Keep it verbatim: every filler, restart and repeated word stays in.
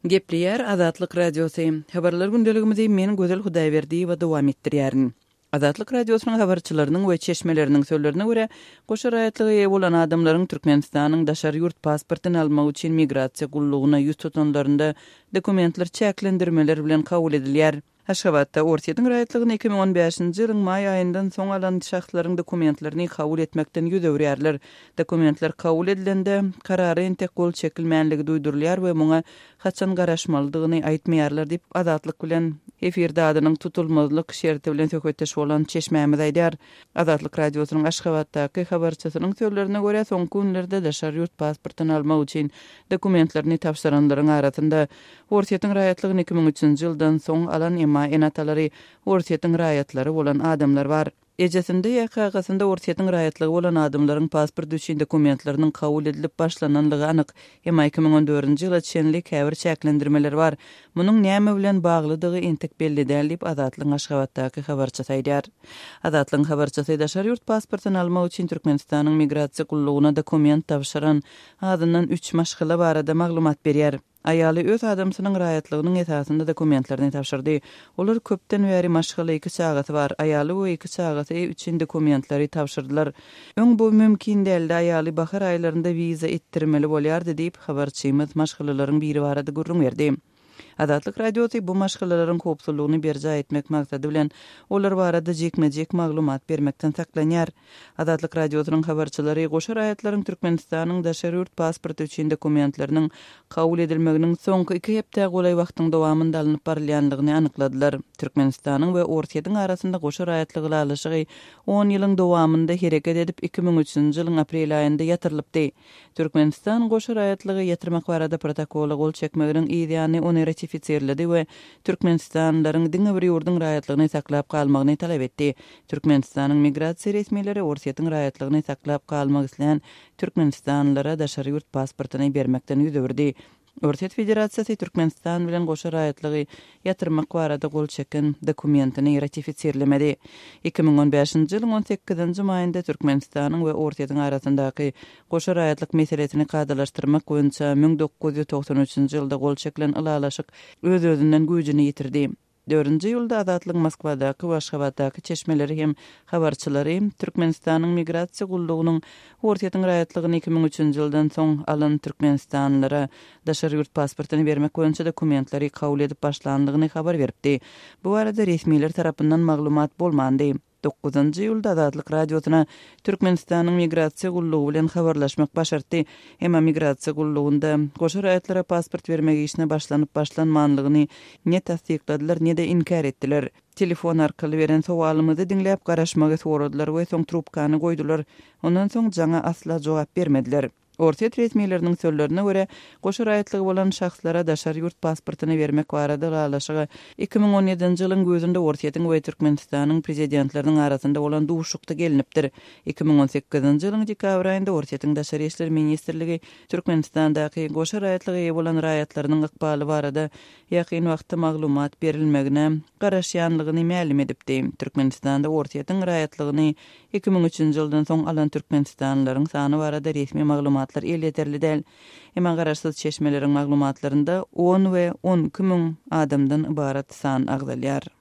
Gepleýär Azatlyk Radiosy. Habarlar gündeligimizi men Gözel Hudaýberdiýewa dowam etdirýärin. Azatlyk Radiosynyň habarçylarynyň we çeşmeleriniň sözlerine görä, goşa raýatlyga eýe bolan adamlaryň Türkmenistanyň daşary ýurt pasportyny almak üçin migrasiýa gullugyna ýüz tutanlarynda dokumentler çäklendirmeler bilen kabul edilýär. Aşgabatda Orsýetiň raýatlygyny iki müň on bäşinji ýylyň maý aýyndan soň alan şahslaryň dokumentlerini kabul etmekden ýüz öwürýärler. Dokumentler kabul edilende, karara entek gol çekilmänligi duýdurylýar we muňa haçan garaşmalydygyny aýtmaýarlar diýip, Azatlyk bilen efirde adynyň tutulmazlyk şerti bilen söhbetdeş bolan çeşmämiz aýdýar. Azatlyk Radiosynyň Aşgabatdaky habarçysynyň sözlerine görä, soňky günlerde daşary ýurt pasportyny almak üçin dokumentlerini tabşyranlaryň arasynda Orsýetiň raýatlygyny iki müň üçünji ýyldan soň alan, emma ene-atalary Orsýetiň raýatlary bolan adamlar bar. Ejesinde ýa kakasynda Orsýetiň raýatlygy bolan adamlaryň pasport üçin dokumentleriniň kabul edilip başlananlygy anyk. Emma iki müň on dördünji ýyla çenli käbir çäklendirmeler bar. Munuň näme bilen baglydygy entek belli däl diýip, Azatlygyň Aşgabatdaky habarçysy aýdýar. Azatlygyň habarçysy daşary ýurt pasportyny almak üçin Türkmenistanyň migrasiýa gullugyna dokument tabşyran azyndan üç maşgala barada maglumat berýär. Aýaly öz adamsynyň raýatlygynyň esasynda dokumentlerini tabşyrdy. Olar köpden bäri maşgala, iki çagasy bar. Aýaly we iki çagasy üçin dokumentleri tabşyrdylar. Öň bu mümkin däldi, aýaly bahar aýlarynda wiza etdirmeli bolýardy diýip, habarçymyz maşgalalaryň biri barada gürrüň berdi. Azatlyk Radiosy bu maşgalalaryň howpsuzlygyny berjaý etmek maksady bilen olar barada jikme-jik maglumat bermekden saklanýar. Azatlyk Radiosynyň habarçylary goşa raýatlaryň Türkmenistanyň daşary ýurt pasporty üçin dokumentleriniň kabul edilmeginiň soňky iki hepdä golaý wagtyň dowamynda alnyp barylýandygyny anykladylar. Türkmenistanyň we Orsýetiň arasynda goşa raýatlyk ylalaşygy on ýylyň dowamynda hereket edip, iki müň üçünji ýylyň aprel aýynda ýatyrylypdy. Türkmenistan goşa raýatlygy ýatyrmak barada protokola gol çekmeginiň yz ýany ony ratifisirledi we türkmenistanlylaryň diňe bir ýurduň raýatlygyny saklap galmagyny talap etdi. Türkmenistanyň migrasiýa resmileri Orsýetiň raýatlygyny saklap galmak islän türkmenistanlylara daşary ýurt pasportyny bermekden ýüz öwürdi. Orsýet Federasiýasy Türkmenistan bilen goşa raýatlygy ýatyrmak barada gol çeken dokumentini ratifisirlemedi. Iki müň on bäşinji ýylyň on sekizinji maýynda Türkmenistanyň we Orsýetiň arasyndaky goşa raýatlyk meselesini kadalaşdyrmak boýunça müň dokuz ýüz togsan üçünji ýylda gol çekilen ylalaşyk öz-özünden güýjüni ýitirdi. Dördünji ýylda Azatlygyň Moskwadaky we Aşgabatdaky çeşmeleri hem habarçylary Türkmenistanyň migrasiýa gullugynyň Orsýetiň raýatlygyny iki müň üçünji ýyldan soň alan türkmenistanlylara daşary ýurt pasportyny bermek boýunça dokumentleri kabul edip başlandygyny habar beripdi. Bu barada resmiler tarapyndan maglumat bolmandy. Dokuzynjy ýylda Azatlyk Radiosyna Türkmenistanyň migrasiýa gullugy bilen habarlaşmak başartdy. Emma migrasiýa gullugynda goşa raýatlara pasport bermek işine başlanyp başlanmanlygyny ne tassykladylar, ne-de inkär etdiler. Telefon arkaly beren sowalymyzy diňläp garaşmagy soradylar we soň trubkany goýdular. Ondan soň jaňa asla jogap bermediler. Orsýet resmileriniň sözlerine görä, goşa raýatlygy bolan şahslara daşary ýurt pasportyny bermek barada ylalaşyga iki müň on ýedinji ýylyň güýzünde Orsýetiň we Türkmenistanyň prezidentleriniň arasynda bolan duşuşykda gelinipdir. Iki müň on sekizinji ýylyň dekabr aýynda Orsýetiň Daşary işler ministrligi Türkmenistandaky goşa raýatlyga eýe bolan raýatlarynyň ykbaly barada ýakyn wagtda maglumat berilmegine garaşýanlygyny mälim edipdi. Türkmenistanda Orsýetiň raýatlygyny iki müň üçünji ýyldan soň alan türkmenistanlylaryň sany barada resmi maglumatlar elýeterli däl. Emma garaşsyz çeşmeleriň maglumatlarynda on we on iki müň adamdan ybarat san agzalýar.